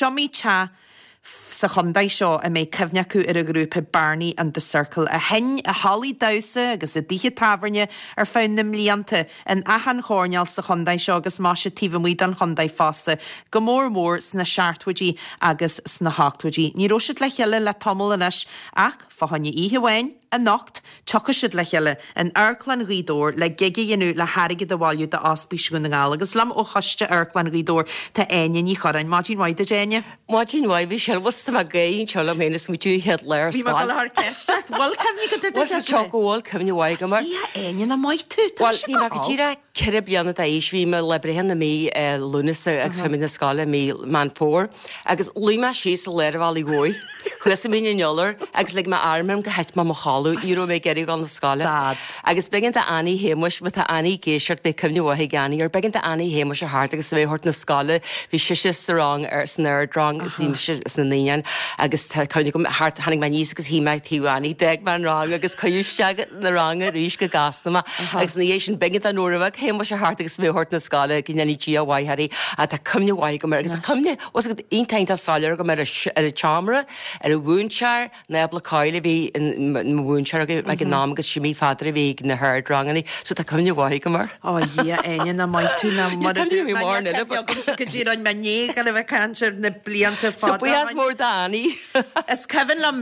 Iomaí teach sa chontae seo a mbeidh cuimhne acu ar an ghrúpa Barney and the Circle a sheinn i hallaí damhsa agus i dtithe tábhairne ar feadh na mblianta in achan choirnéal sa chontae seo agus maise taobh amuigh den chontae fosta, go mór mór sna seachtóidí agus sna hochtóidí. Ní raibh siad le chéile le tamall anois ach fá choinne oíche amháin, Anocht, tiocfaidh siad le chéile in Amharclann Ghaoth Dobhair le gig a dhéanamh le hairgead a bhailiú d'Ospís Dhún na nGall. Agus liom ó choiste Amharclann Ghaoth Dobhair tá Áine Ní Churráin. Maidin mhaith duit, Áine. Maidin mhaith, Michelle. Bhuel, tá mé ag gáire anseo liom féin ag smaoitiú an chéad lá ar Bhí mé ag dul a chur ceist ort. Bhfuil cuimhne agat ar do Bhuel, chéad lá? go bhfuil cuimhne mhaith agam air. A Dhia, Áine, nach maith tú. Tá Bhuel, mise bhí mé go go díreach 4 bliana d'aois, bhí mé lá breithe na mí Lúnasa agus chuaigh mé na scoile i mí Meán Fómhair agus luigh mé síos i lár an bhealaigh mhóir, thuas i Mín an Iolair agus lig mé arm orm gur thit mé i mo chodladh, ní raibh mé ag iarraidh dul na scoile. Dad. Agus b'éigean d'Annie Shéamuis, má tá Annie ag éisteacht beidh cuimhne mhaith ag Annie air, b'éigean d'Annie Shéamuis a theacht agus mé a thabhairt na scoile, bhí sise sa rang ar san ardrang is bhí mise sna naíonáin agus tá cuimhne agam thart, tháinig mé aníos agus shuigh mé ag taobh Annie, d'fhág mé an rang agus cuireadh isteach na ranga arís go gasta mé agus ina dhiaidh sin b'éigean do Nóra Mhic Shéamuis a theacht agus mé a thabhairt na scoile go ndéanaí Dia a mhaith uirthi ach tá cuimhne mhaith agam air agus tá cuimhne bhfuil fhios agat iontach iontach soiléir agam ar ar an tseomra, ar an mhúinteoir, Nábla Coyle a bhí ina mhúinteoir agam ag an am agus Jimmy Pheadair a bhí ag na hardranganna so tá cuimhne mhaith agam air. Ó a Dhia Áine nach maith tú ná Níl mar a cuimhne dúirt mé mé mórán níl eile cuimhne but agamsa go dtí roinn mé ní go raibh ag caint ar na blianta So fada ó buíochas shin. mór d'Annie. Is cuimhin liom,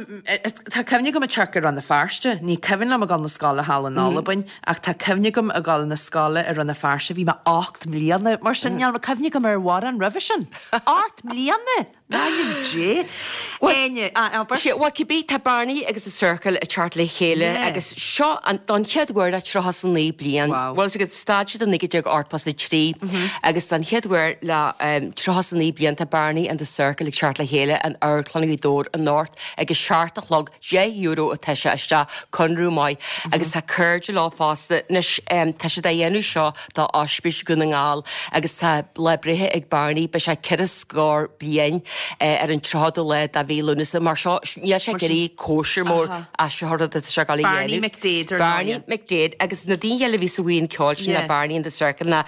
tá cuimhne agam ag teacht go Rann na Feirste, ní cuimhin liom ag dul na scoile thall in Albain, ach tá cuimhne agam ag dul na scoile i Rann na Feirste, bhí mé 8 mbliana, mar sin níl cuimhne agam ar mhórán roimhe sin. 8 mbliana! M'ainm Dé! Áine, abair. Sea, bhuel, cibé, tá Barney agus The Circle ag teacht le chéile agus seo an, don chéad uair le 39 bliain. Wow. Bhuel, is stad siad i 1983 agus don chéad uair le 39 bliain tá Barney and The Circle ag teacht le chéile in Amharclann Ghaoth Dobhair anocht ag a seacht a chlog, €10 atá sé isteach, conradh maith agus tá cairde leo fosta. Anois, tá siad á dhéanamh seo do Ospís Dhún na nGall agus tá lá breithe ag Barney, beidh sé ceithre scór bliain ar an 30ú lá de mhí Lúnasa, mar seo níl sé ag iarraidh cóisir mór as seo rud atá sé ag dul a dhéanamh. Barney McDaid ar Barney ndóigh. McDaid agus na daoine eile a bhí sa bhuíon ceoil sin le Barney and the Circle ná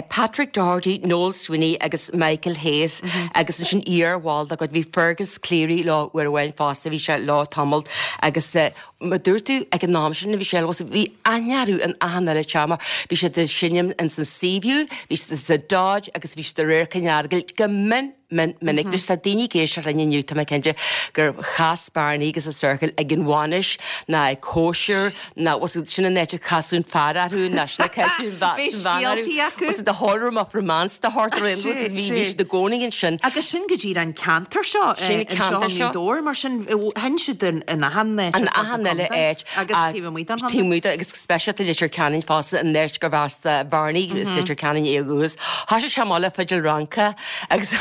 Patrick Doherty, Noel Sweeney agus Michael Hayes agus ansin iar-bhall dá gcuid bhí Fergus Cleary leo uair amháin fosta, bhí sé leo tamall agus Mar dúirt tú, ag an am sin a bhí sé, bhí aithne orthu in achan uile teach mar bhí siad ag seinm ins an Seaview, bhí siad sa Dodge agus bhí siad i Radharc an Earagail go mion, mion, minic. Anois tá daoine ag éisteacht linn inniu, tá mé cinnte gur chas Barney agus The Circle ag an bhainis ná ag cóisir ná was it sin an áit a casadh an fear orthu ná sin a casadh an bhean Bhí orthu. scéaltaí acu. Was it the Hallroom of Romance the heart or was it bhí bhí siad i gcónaí ansin. Agus sin go díreach an ceantar seo, Sin an anseo ceantar i seo. nGaoth Dobhair, mar sin sheinn siad in achan áit An ar fud achan na uile contae áit. agus taobh amuigh den chontae. Taobh amuigh de agus go speisialta Leitir Ceanainn fosta an áit gurbh as do Bharney is Leitir Ceanainn é ó dhúchas. Thoisigh sé amach le fidil Fhrancach agus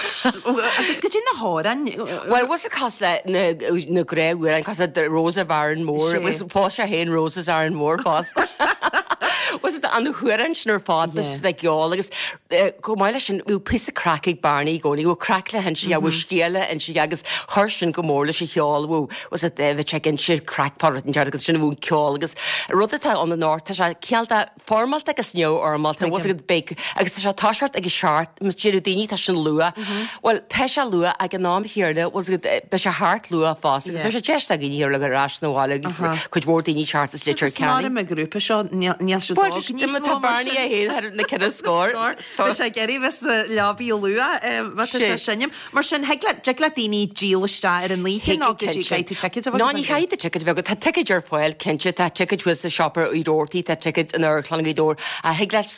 Agus goidé na hamhráin. Bhuel was it cosúil le na na gnáthamhráin cosúil le Rose of Arranmore Sé. was phós sé féin Rose of Arranmore fosta. Was it an hamhráin sin ar fad Yeah. le ceol agus Chomh maith leis sin, bhíodh píosa craic ag Barney i gcónaí, bhíodh craic le hinse aige, bhíodh scéal le hinse aige agus chuir sin go mór leis an cheol, bhíodh, was it, bheadh sé ag inse craic fá rud inteacht agus sin a bhíodh an ceol agus rud atá ann anocht, tá sé cineál de foirmeálta agus neamhfhoirmeálta, was it, beidh, agus tá sé ag toiseacht ag a seacht, mas déarfadh daoine tá sin luath, bhuel tá sé luath ag an am chéanna, was it, beidh sé thart luath fosta agus beidh sé deis againn a dhul ar ais 'na bhaile, cuid mhór daoine ag teacht as Leitir Agus mar Ceanainn. an grúpa seo, níl siad Bhuel, óg níos tá mó mar Barney sin. é féin thar na ceithre scór. Beidh sé ag iarraidh bheith sa leabaidh luath má tá sé ag seinm. Mar sin, thig le, dtig le daoine díol isteach ar an oíche nó go dtí caithfidh tú ticéid a bheith No, agat ní chaithfidh tú ticéid a bheith agat. Tá ticéid ar fáil, cinnte. Tá ticéid thuas sa siopa Uí Robhartaigh, tá ticéid in Amharclann Ghaoth Dobhair. Ach thig leat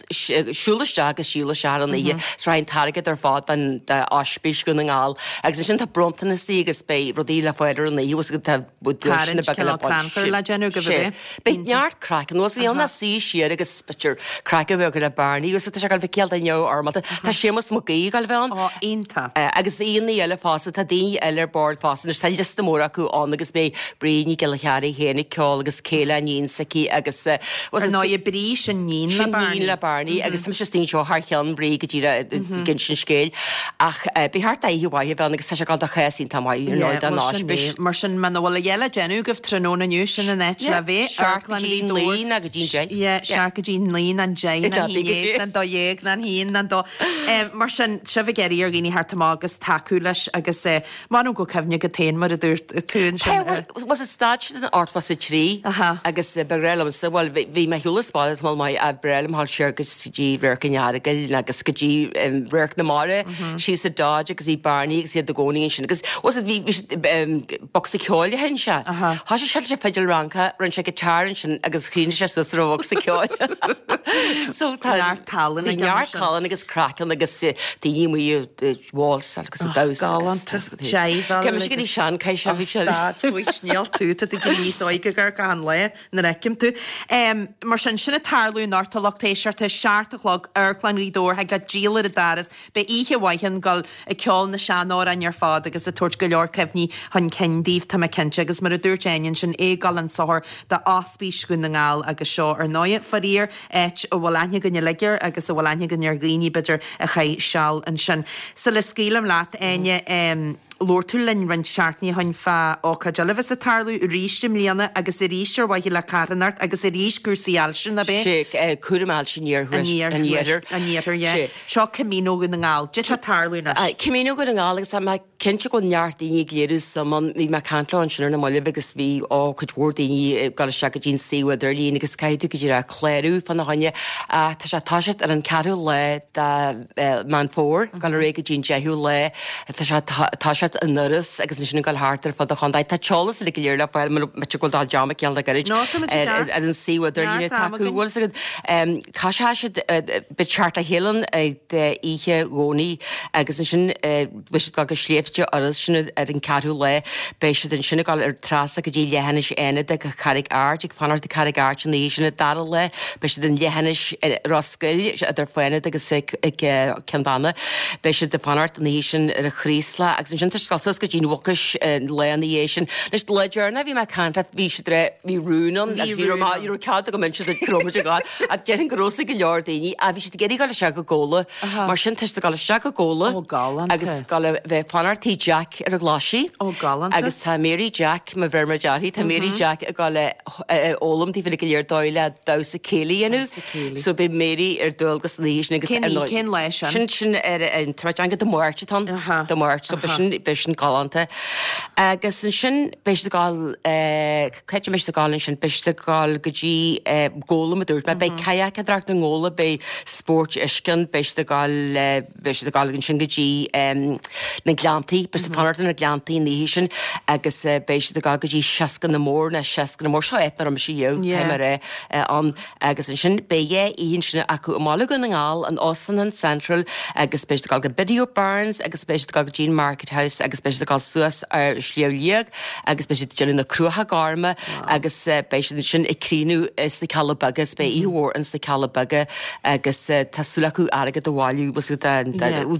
siúl isteach agus díol isteach ar an oíche. Is raghaidh an t-airgead ar fad don d'Ospís Dhún na nGall. Agus ansin tá bronntanasí agus beidh rudaí le fáil ar an oíche. Agus tá Tarraingt cineál crannchuir le déanamh go bhfios. Beidh neart craic anuas bhí ann a suí siar agus b'fhéidir craic a bheith acu le Barney agus tá sé ag dul bheith cineál de neamhfhoirmeálta. Tá Séamus Mac Aoidh ag dul bheith ann. Ó, iontach. Agus aíonna eile fosta, tá daoine eile ar bord fosta anois, tá liosta mór acu ann agus beidh Bríd Ní Ghiolla Chearraigh féin ag ceol agus Kayla iníon s'aici agus Ar ndóigh Bríd sin níon le Sin Barney. níon le Barney agus tá mise istigh anseo thar cheann Bhríd go díreach ag insint an scéil ach beidh thart oíche mhaith a bheith ann agus tá sé ag dul do chás iontach maith ar ndóigh don Bhuel sin Ospís. é. Mar sin muna bhfuil a dhath le déanamh agaibh tráthnóna inniu sin an áit le bheith. Seacht go Amharclann dtí Ghaoth naoi Dobhair. nó go dtí an deich. Yeah, Yeah. amharc go dtí 9 ná an 10 ná an 11 ná an 12 ná an 1 ná an 2. Mar sin, sibh ag iarraidh ar dhaoine theacht amach agus tacú leis agus m'anam go cuimhne agat féin mar a dúirt tú ansin. Bhuel, was it stad siad in 83 agus ba ghnách liomsa, bhuel bhí mé shiúl as baile tamall maith ach ba ghnách liom dhul siar go dtí Radharc an Earagail agus go dtí Radharc na Mara síos sa Dodge agus bhí Barney agus iad i gcónaí ansin agus was it bhí bhí siad bocsa ceoil a sheinn sé. Thosaigh sé leis an fidil Fhrancach, rinne sé guitar ansin agus chríochnaigh sé suas ar an bhocsa ceoil. So tá neart tallann ag neart tallann agus craic ann agus daoine amuigh ag válsáil agus ag damhsa. Galánta. Seiveáil. Cé mise go dtí seanchaith sé bhí sé. Stad faoi snéal tú, tá tú ag éirí níos óige gar achan lá nuair a fheicim tú. Mar sin, sin ag tarlú anocht a lucht éisteachta, 7 a chlog, Amharclann Ghaoth Dobhair, thig leat díol ar an doras, Beidh oíche mhaith ann, dul ag ceol na seanamhráin ar fad agus ag tabhairt go leor cuimhní chun cinn daoibh, tá mé cinnte. Agus mar a dúirt Áine ansin, é ag dul chun sochair do Ospís Dhún na nGall agus seo, ar ndóighe, faraor, áit a bhfuil aithne againn uilig air agus a bhfuil aithne againn ar dhaoine, b'fhéidir, a chaith seal ansin. Sula scaoilim leat, Áine, Labhair tú linn roinnt seachtainí ó shin fá ócáid eile a bheas ag tarlú arís i mbliana agus arís ar mhaithe le carthanacht agus arís cúrsaí ailse, nach ea? Sé, cúram ailse an iarthuais, an iarthair. An iarthair, yeah. Sé. Seo Camino Dhún na nGall. Cad tá ag tarlú anois? Camino Dhún na nGall agus tá mé cinnte go bhfuil neart daoine ag léiriú suim ann. Bhí mé ag caint leo ansin ar na mallaibh agus bhí, ó, cuid mhór daoine ag dul isteach go dtí an suíomh idirlín agus caithfidh tú go díreach clárú fána choinne. Ach tá sé ag toiseacht ar an ceathrú lá de Meán Fómhair, ag dul ar aghaidh go dtí an 10ú lá. Tá sé ag toiseacht in Iorras agus ansin ag dul thart ar fud an chontae. Tá t-eolas uilig go léir le fáil mura mbeidh go bhfuil dul dearmad ceann le gairid ar an suíomh idirlín atá acu. Bhfuil fhios agat, tá sé siad beidh teacht le chéile ann oíche Dhomhnaigh agus ansin beidh siad ag dul go Sléibhte Iorrais sin ar an ceathrú lá. Beidh siad ansin ag dul ar trasna go dtí Leithinis Fhánada go Carraig Airt, ag fanacht i Carraig Airt an oíche sin an dara lá. Beidh siad in Leithinis Ros Goill, idir Fánada agus Ceann Banna. Beidh siad ag fanacht an oíche sin ar an Chraoslach agus ansin tá siad ag dul suas go dtí an Mhucais an lá ina dhiaidh sin. Anois, lá deireanach bhí mé ag caint leat, bhí siad re, bhí rún ann agus bhí raibh ní raibh cead agam inse duit go raibh muid ag dul ach déarfainn go raibh fhios ag go leor daoine ach bhí siad ag iarraidh dul isteach go Gabhla. Mar sin tá siad ag dul isteach go Gabhla agus dul a bheith ag fanacht tigh Jack ar an Ghlaisigh. Agus tá Mary Jack, má bheir muid uirthi, tá Mary Jack ag dul a fhoghlaim daoibh uilig go léir dóigh le damhsa céilí a dhéanamh. So beidh Mary ar dualgas an oíche sin agus Cén oíche, cén lá sin? Sin sin ar an tá mé ag déanamh Dé Máirt atá ann, Dé Máirt, so beidh sin beidh sin galánta. Agus ansin beidh siad ag dul cá háit a mbeidh siad ag dul ansin, beidh siad ag dul go dtí Gabhla mar a dúirt mé, beidh cadhacadóireacht i nGabhla, beidh spóirt uisce ann, beidh siad ag dul Beidh siad ag dul ansin go dtí na Gleanntaí, beidh siad ag fanacht na Gleanntaí an oíche sin agus beidh siad ag dul go dtí Seskinamore nó Seskinamore, seo áit nach raibh mise riamh, caithfidh mé a rá, ann agus ansin beidh dhá oíche ansin acu i mBaile Dhún na nGall, in Óstán an Central agus beidh siad ag dul go Biddy O'Byrne's agus beidh siad ag dul go dtí an Market House agus beidh siad ag dul suas ar Shliabh Liag agus beidh siad ag déanamh na Cruacha Gorma agus beidh siad ansin ag críochnú sna Cealla Beaga is beidh oíche mhór ins na Cealla Beaga agus tá súil acu airgead a bhailiú,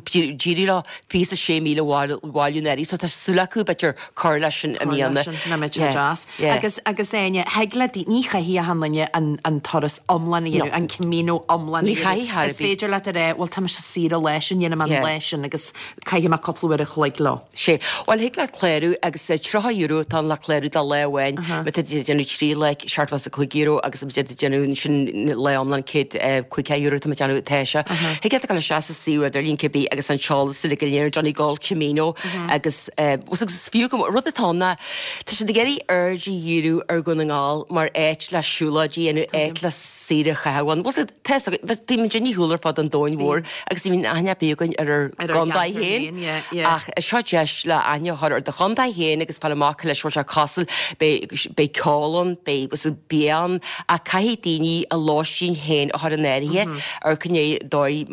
d'éirigh leo 26,000 a bhailiú anuraidh, so tá súil acu b'fhéidir cur leis sin i mbliana. Nach mbeadh sé deas. Agus, agus Áine, thig le daoine, ní chaithfidh achan duine an, an turas iomlán a dhéanamh, an Camino iomlán a dhéanamh. Ní chaithfidh ar bith. Is féidir leat a rá, bhuel tá mise saor an lá sin, dhéanfaidh mé an lá sin agus caithfidh mé cúpla uair a chloig leo. Sé. Bhuel, thig leat clárú agus €30 atá ann le clárú do lá amháin. Má tá tú ag déanamh 3 lá, €75 agus má tá tú ag déanamh ansin lá iomlán €150 tá mé ag déanamh atá sé. Thig leat a dhul isteach sa suíomh idirlín cibé agus an t-eolas uilig go léir Donegal Camino agus agus is fiú go rud atá ann ná tá siad ag iarraidh aird a dhíriú ar Dhún na nGall mar áit le siúlóidí a dhéanamh, áit le saoire a chaitheamh ann. Bhuel, Tá fhios agat, bíonn muid ar shiúl ar fud an domhain mhóir agus ní bhíonn aithne ar bith againn ar ár gcontae féin ach seo deis le aithne a chur ar do chontae féin agus fáil amach cá leis a bhfuil sé cosúil, beidh ceol ann, beidh bia ann ach caithfidh daoine a lóistín féin a chur in áirithe ar cibé dóigh,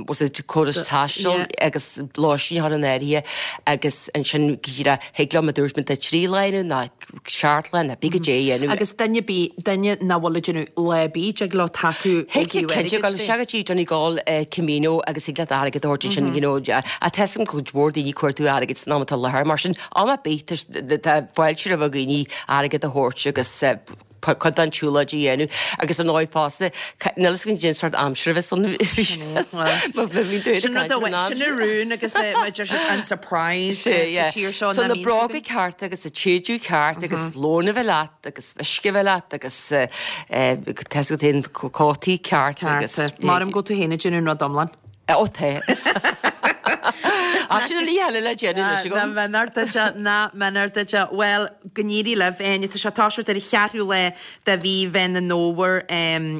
córas taistil agus lóistín a chur in áirithe agus ansin go díreach thig leo, mar a dúirt mé, 3 lá a dhéanamh nó 7 lá nó cibé goidé a dhéanamh. Agus duine ar bith, duine nach bhfuil ag déanamh lá ar bith, dtig leo tacú ó thaobh airgid de. Cinnte, gabh isteach go dtí Donegal Camino agus thig leat airgead a thabhairt ansin, you know, ach tá fhios agam cuid mhór daoine ag cuartú airgid san am atá i láthair, mar sin am ar bith tá fáilte roimh dhaoine airgead a thabhairt agus. Cuid den tsiúlóid a dhéanamh agus ar ndóigh fosta, níl fhios againn cén sórt aimsire a bheas ann. Sin rud amháin, sin an rún agus mar deir siad an surprise sa tír seo. So na bróga cearta agus an t-éadan ceart agus lón a bheith leat agus uisce a bheith leat agus tá fhios agat féin cótaí ceart agus. Maram go bhfuil tú féin ag déanamh an rud iomlán. Ó tá. Ach sin an ní eile le déanamh anois agam. Nach méanar duit, nach méanar duit. Bhuel, go n-éirí libh, Áine. Tá sé ag toiseacht ar an cheathrú lá de mhí Mheán an Fhómhair.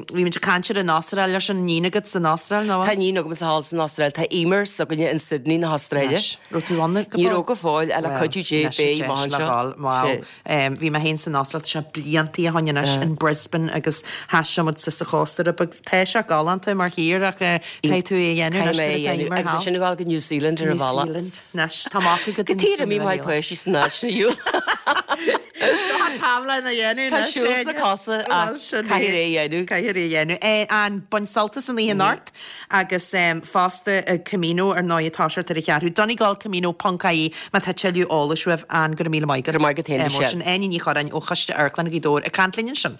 Bhí muid ag caint ar an Astráil, leis an iníon agat san Astráil, nó? Tá iníon agam thall san Astráil. Tá Emer s'againne in Sydney na hAstráile. Anois, raibh tú ann go fóill? Ní raibh go fóill, ach le cuidiú Dé beidh amach anseo. Wow. Bhí mé féin san Astráil, tá sé bliantaí ó shoin anois, in Brisbane agus thaistil muid suas an chósta rud beag. Tá sé galánta mar thír ach caithfidh tú é a dhéanamh anois nuair atá Emer thall. Agus ansin a ghabháil go New Zealand ar an bhealach. New Zealand, anois tá amach agat Go tír imí maith páistí san áit sna shiúl. Seo an t-am lena dhéanamh Tá anois. siúl sna cosa ach caithfidh é a dhéanamh. Caithfidh é a dhéanamh. An bain sult as an oíche anocht. Agus fosta Camino ar ndóigh ag toiseacht ar an cheathrú. Donegalcamino ponc ie má tá tuilleadh eolais uaibh. Ann go raibh míle maith agat. Go raibh maith agat féin Michelle. Sin Áine Ní Churráin ó Choiste Amharclann Ghaoth Dobhair ag caint linn ansin.